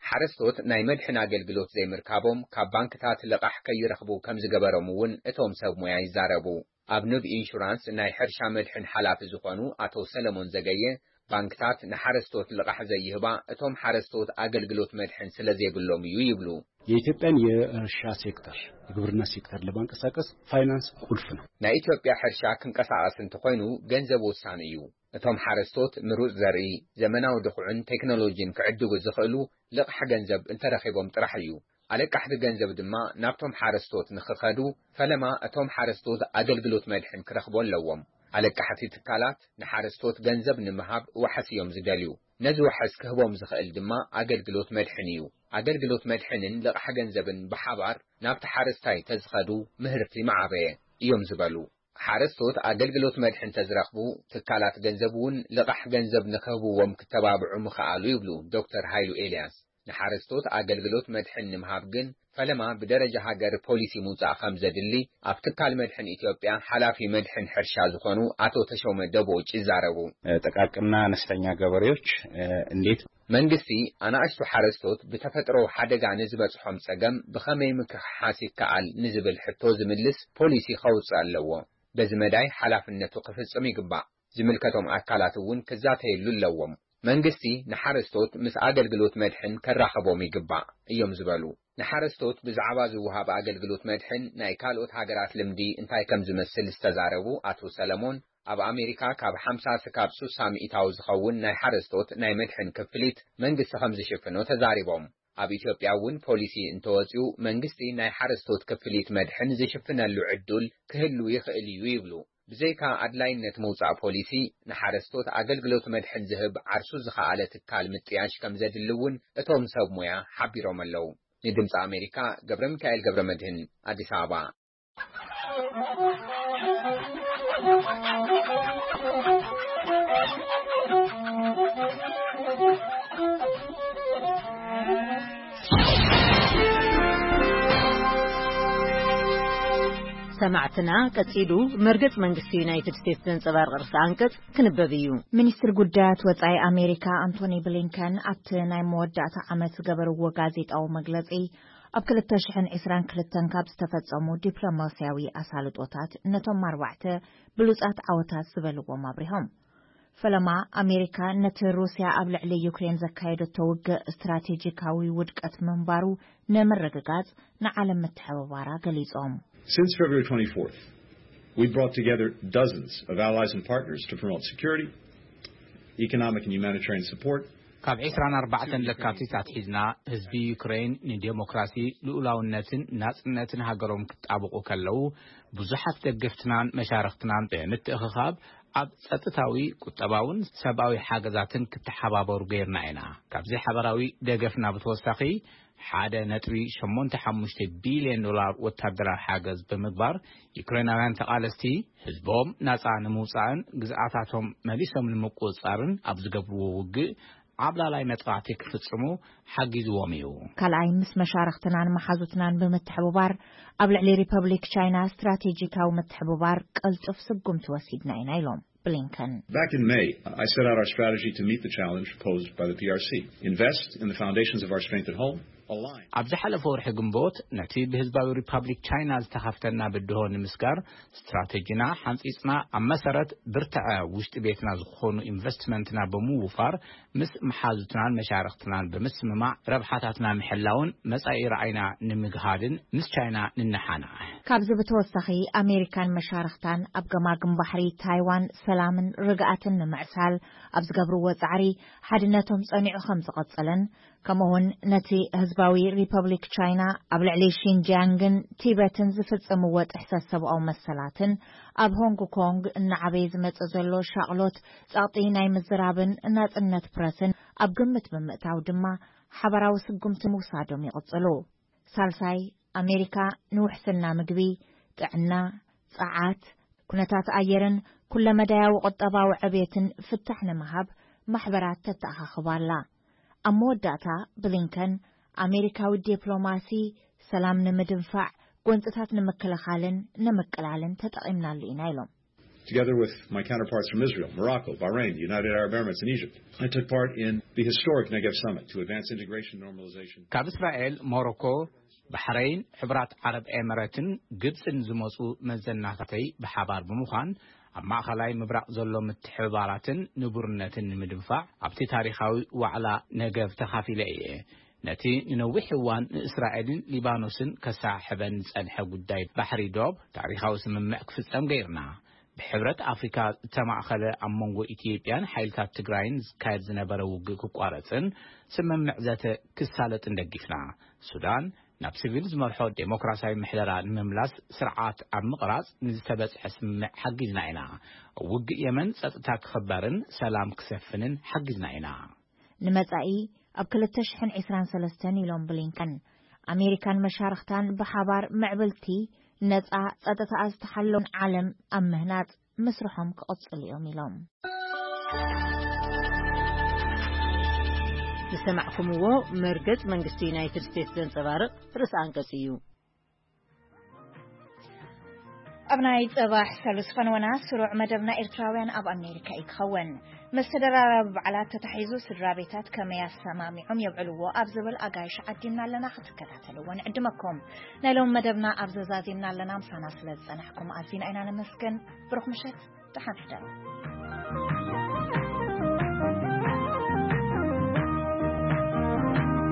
ሓረስቶት ናይ መድሕን ኣገልግሎት ዘይምርካቦም ካብ ባንክታት ልቓሕ ከይረኽቡ ከም ዝገበሮም እውን እቶም ሰብ ሞያ ይዛረቡ። ኣብ ንብ ኢንሹራንስ ናይ ሕርሻ መድሕን ሓላፊ ዝኾኑ ኣቶ ሰለሞን ዘገየ፣ ባንክታት ንሓረስቶት ልቓሕ ዘይህባ እቶም ሓረስቶት ኣገልግሎት መድሕን ስለ ዘይብሎም እዩ ይብሉ። የኢትዮጵያን የእርሻ ሴክተር፣ የግብርና ሴክተር ለማንቀሳቀስ ፋይናንስ ቁልፍ ነው። ናይ ኢትዮጵያ ሕርሻ ክንቀሳቐስ እንተኾይኑ ገንዘብ ወሳኒ እዩ። እቶም ሓረስቶት ምሩፅ ዘርኢ፣ ዘመናዊ ድኹዕን ቴክኖሎጂን ክዕድጉ ዝኽእሉ ልቓሕ ገንዘብ እንተረኺቦም ጥራሕ እዩ። ኣለቃሕቲ ገንዘብ ድማ ናብቶም ሓረስቶት ንኽኸዱ፣ ፈለማ እቶም ሓረስቶት ኣገልግሎት መድሕን ክረኽቡ ኣለዎም። ኣለቃሕቲ ትካላት ንሓረስቶት ገንዘብ ንምሃብ ዋሕስ እዮም ዝደልዩ። ነዚ ዋሕስ ክህቦም ዝኽእል ድማ ኣገልግሎት መድሕን እዩ። ኣገልግሎት መድሕንን ልቓሕ ገንዘብን ብሓባር ናብቲ ሓረስታይ ተዝኸዱ ምህርቲ ምዓበየ እዮም ዝበሉ። ሓረስቶት ኣገልግሎት መድሕን ተዝረኽቡ፣ ትካላት ገንዘብ እውን ልቓሕ ገንዘብ ንክህብዎም ክተባብዑ ምኽኣሉ ይብሉ ዶክተር ሃይሉ ኤልያስ። ንሓረስቶት ኣገልግሎት መድሕን ንምሃብ ግን ፈለማ ብደረጃ ሃገር ፖሊሲ ምውጻእ ከም ዘድሊ ኣብ ትካል መድሕን ኢትዮጵያ ሓላፊ መድሕን ሕርሻ ዝኾኑ ኣቶ ተሾመ ደቦጭ ይዛረቡ። ጥቃቅንና አነስተኛ ገበሬዎች እንዴት መንግስቲ ኣናእሽቱ ሓረስቶት ብተፈጥሮ ሓደጋ ንዝበጽሖም ጸገም ብኸመይ ምክሕሓስ ይከኣል ንዝብል ሕቶ ዝምልስ ፖሊሲ ከውጽእ ኣለዎ። በዚ መዳይ ሓላፍነቱ ክፍጽም ይግባእ። ዝምልከቶም ኣካላት እውን ክዛተየሉ ኣለዎም። መንግስቲ ንሓረስቶት ምስ ኣገልግሎት መድሕን ከራኸቦም ይግባእ እዮም ዝበሉ። ንሓረስቶት ብዛዕባ ዝወሃብ ኣገልግሎት መድሕን ናይ ካልኦት ሃገራት ልምዲ እንታይ ከም ዝመስል ዝተዛረቡ ኣቶ ሰለሞን፣ ኣብ ኣሜሪካ ካብ ሓምሳ ክሳብ ሱሳ ሚእታዊ ዝኸውን ናይ ሓረስቶት ናይ መድሕን ክፍሊት መንግስቲ ከም ዝሽፍኖ ተዛሪቦም። ኣብ ኢትዮጵያ እውን ፖሊሲ እንተወፂኡ መንግስቲ ናይ ሓረስቶት ክፍሊት መድሕን ዝሽፍነሉ ዕዱል ክህሉ ይኽእል እዩ ይብሉ። ብዘይካ ኣድላይነት ምውፃእ ፖሊሲ፣ ንሓረስቶት ኣገልግሎት መድሕን ዝህብ ዓርሱ ዝኸኣለ ትካል ምጥያሽ ከም ዘድሊ እውን እቶም ሰብ ሞያ ሓቢሮም ኣለዉ። ንድምፂ ኣሜሪካ ገብረ ሚካኤል ገብረ መድህን፣ ኣዲስ ኣበባ። ሰማዕትና፣ ቀጺሉ መርገጽ መንግስቲ ዩናይትድ ስቴትስ ዘንጸባርቕ ርእሰ ኣንቀጽ ክንበብ እዩ። ሚኒስትር ጉዳያት ወጻኢ ኣሜሪካ ኣንቶኒ ብሊንከን ኣብቲ ናይ መወዳእታ ዓመት ዝገበርዎ ጋዜጣዊ መግለጺ፣ ኣብ ክልተ ሽሕን ዕስራን ክልተን ካብ ዝተፈጸሙ ዲፕሎማስያዊ ኣሳልጦታት ነቶም ኣርባዕተ ብሉጻት ዓወታት ዝበልዎም ኣብሪሆም። ፈለማ ኣሜሪካ ነቲ ሩስያ ኣብ ልዕሊ ዩክሬን ዘካየደቶ ውግእ ስትራቴጂካዊ ውድቀት ምንባሩ ንምርግጋጽ ንዓለም ምትሕብባራ ገሊጾም። Since February twenty-fourth, we brought together dozens of allies and partners to promote security, economic and humanitarian support. ካብ ዕስራን ኣርባዕተን ለካቲት ኣትሒዝና ህዝቢ ዩክሬን ንዴሞክራሲ፣ ልኡላውነትን ናጽነትን ሃገሮም ክጣብቑ ከለዉ፣ ብዙሓት ደገፍትናን መሻርኽትናን ብምትእኽኻብ ኣብ ጸጥታዊ፣ ቁጠባውን ሰብኣዊ ሓገዛትን ክተሓባበሩ ገይርና ኢና። ካብዚ ሓበራዊ ደገፍና ብተወሳኺ፣ ሓደ ነጥቢ ሸሞንተ ሓሙሽተ ቢልዮን ዶላር ወታደራዊ ሓገዝ ብምግባር፣ ዩክሬናውያን ተቓለስቲ ህዝቦም ናጻ ንምውጻእን ግዝኣታቶም መሊሶም ንምቁጽጻርን ኣብ ዝገብርዎ ውግእ ዓብላላይ መጥቃዕቲ ክፍጽሙ ሓጊዝዎም እዩ። ካልኣይ፣ ምስ መሻርኽትናን መሓዙትናን ብምትሕብባር ኣብ ልዕሊ ሪፐብሊክ ቻይና ስትራቴጂካዊ ምትሕብባር ቀልጡፍ ስጉምቲ ወሲድና ኢና ኢሎም ብሊንከን። Back in May, I set out our strategy to meet the challenge posed by the P R C. Invest in the foundations of our strength at home. Align. ኣብ ዝሓለፈ ወርሒ ግንቦት፣ ነቲ ብህዝባዊ ሪፐብሊክ ቻይና ዝተኸፍተና ብድሆ ንምስጋር ስትራቴጂና ሓንጺጽና፣ ኣብ መሰረት ብርትዐ ውሽጢ ቤትና ዝኾኑ ኢንቨስትመንትና ብምውፋር፣ ምስ መሓዙትናን መሻርኽትናን ብምስምማዕ ረብሓታትና ምሕላውን መጻኢ ራዕይና ንምግሃድን ምስ ቻይና ንነሓናሕ። ካብዚ ብተወሳኺ፣ ኣሜሪካን መሻርኽታን ኣብ ገማግም ባሕሪ ታይዋን ሰላምን ርግኣትን ንምዕሳል ኣብ ዝገብርዎ ጻዕሪ፣ ሓድነቶም ጸኒዑ ከም ዝቐጽልን፣ ከምኡውን ነቲ ህዝባዊ ሪፐብሊክ ቻይና ኣብ ልዕሊ ሺንጂያንግን ቲበትን ዝፍጽምዎ ጥሕሰት ሰብኣዊ መሰላትን ኣብ ሆንግ ኮንግ እናዓበየ ዝመጽእ ዘሎ ሻቕሎት ጸቕጢ ናይ ምዝራብን ናጽነት ፕረስን ኣብ ግምት ብምእታው ድማ ሓበራዊ ስጉምቲ ምውሳዶም ይቕጽሉ። ሳልሳይ፣ ኣሜሪካ ንውሕስና ምግቢ፣ ጥዕና፣ ጸዓት፣ ኩነታት ኣየርን ኩለመዳያዊ ቁጠባዊ ዕብየትን ፍታሕ ንምሃብ ማሕበራት ተተኣኻኽብ ኣላ። ኣብ መወዳእታ ብሊንከን፣ ኣሜሪካዊ ዲፕሎማሲ ሰላም ንምድንፋዕ፣ ጎንጽታት ንምክልኻልን ንምቅላልን ተጠቒምናሉ ኢና ኢሎም። Together with my counterparts from Israel, Morocco, Bahrain, the United Arab Emirates, and Egypt, I took part in the historic Negev Summit to advance integration and normalization. ካብ እስራኤል፣ ሞሮኮ፣ ባሕረይን፣ ሕቡራት ዓረብ ኤምረትን ግብጽን ዝመጹ መዘናታተይ ብሓባር ብምዃን፣ ኣብ ማእኸላይ ምብራቕ ዘሎ ምትሕብባራትን ንቡርነትን ንምድንፋዕ ኣብቲ ታሪኻዊ ዋዕላ ነገብ ተኻፊለ እየ። ነቲ ንነዊሕ እዋን ንእስራኤልን ሊባኖስን ከሰሓሕበን ዝጸንሐ ጉዳይ ባሕሪ ዶብ ታሪኻዊ ስምምዕ ክፍጸም ገይርና። ብሕብረት ኣፍሪካ ዝተማእኸለ ኣብ መንጎ ኢትዮጵያን ሓይልታት ትግራይን ዝካየድ ዝነበረ ውግእ ክቋረጽን ስምምዕ ዘተ ክሳለጥን ደጊፍና። ሱዳን ናብ ሲቪል ዝመርሖ ዴሞክራሲያዊ ምሕደራ ንምምላስ ስርዓት ኣብ ምቕራጽ ንዝተበጽሐ ስምምዕ ሓጊዝና ኢና። ውግእ የመን ጸጥታ ክኽበርን ሰላም ክሰፍንን ሓጊዝና ኢና። ንመጻኢ ኣብ ክልተ ሽሕን ዕስራን ሰለስተን ኢሎም ብሊንከን፣ ኣሜሪካን መሻርኽታን ብሓባር ምዕብልቲ፣ ነጻ፣ ጸጥታኣ ዝተሓለወን ዓለም ኣብ ምህናጽ ምስርሖም ክቕጽሉ እዮም ኢሎም። ዝሰማዕኩምዎ መርገጽ መንግስቲ ዩናይትድ ስቴትስ ዘንጸባርቕ ርእሰ ኣንቀጽ እዩ። ኣብ ናይ ጽባሕ ሰሉስ ፈነወና ስሩዕ መደብና ኤርትራውያን ኣብ ኣሜሪካ እዩ ክኸውን። ምስ ተደራራቢ በዓላት ተታሒዙ ስድራ ቤታት ከመይ ኣሰማሚዖም የብዕልዎ ኣብ ዝብል ኣጋይሽ ዓዲምና ኣለና፣ ክትከታተልዎ ንዕድመኩም። ናይ ሎም መደብና ኣብ ዘዛዚምና ኣለና፣ ምሳና ስለ ዝጸናሕኩም ኣዚና ኢና ነመስግን። ብሩኽ ምሸት፣ ደሓን ሕደሩ።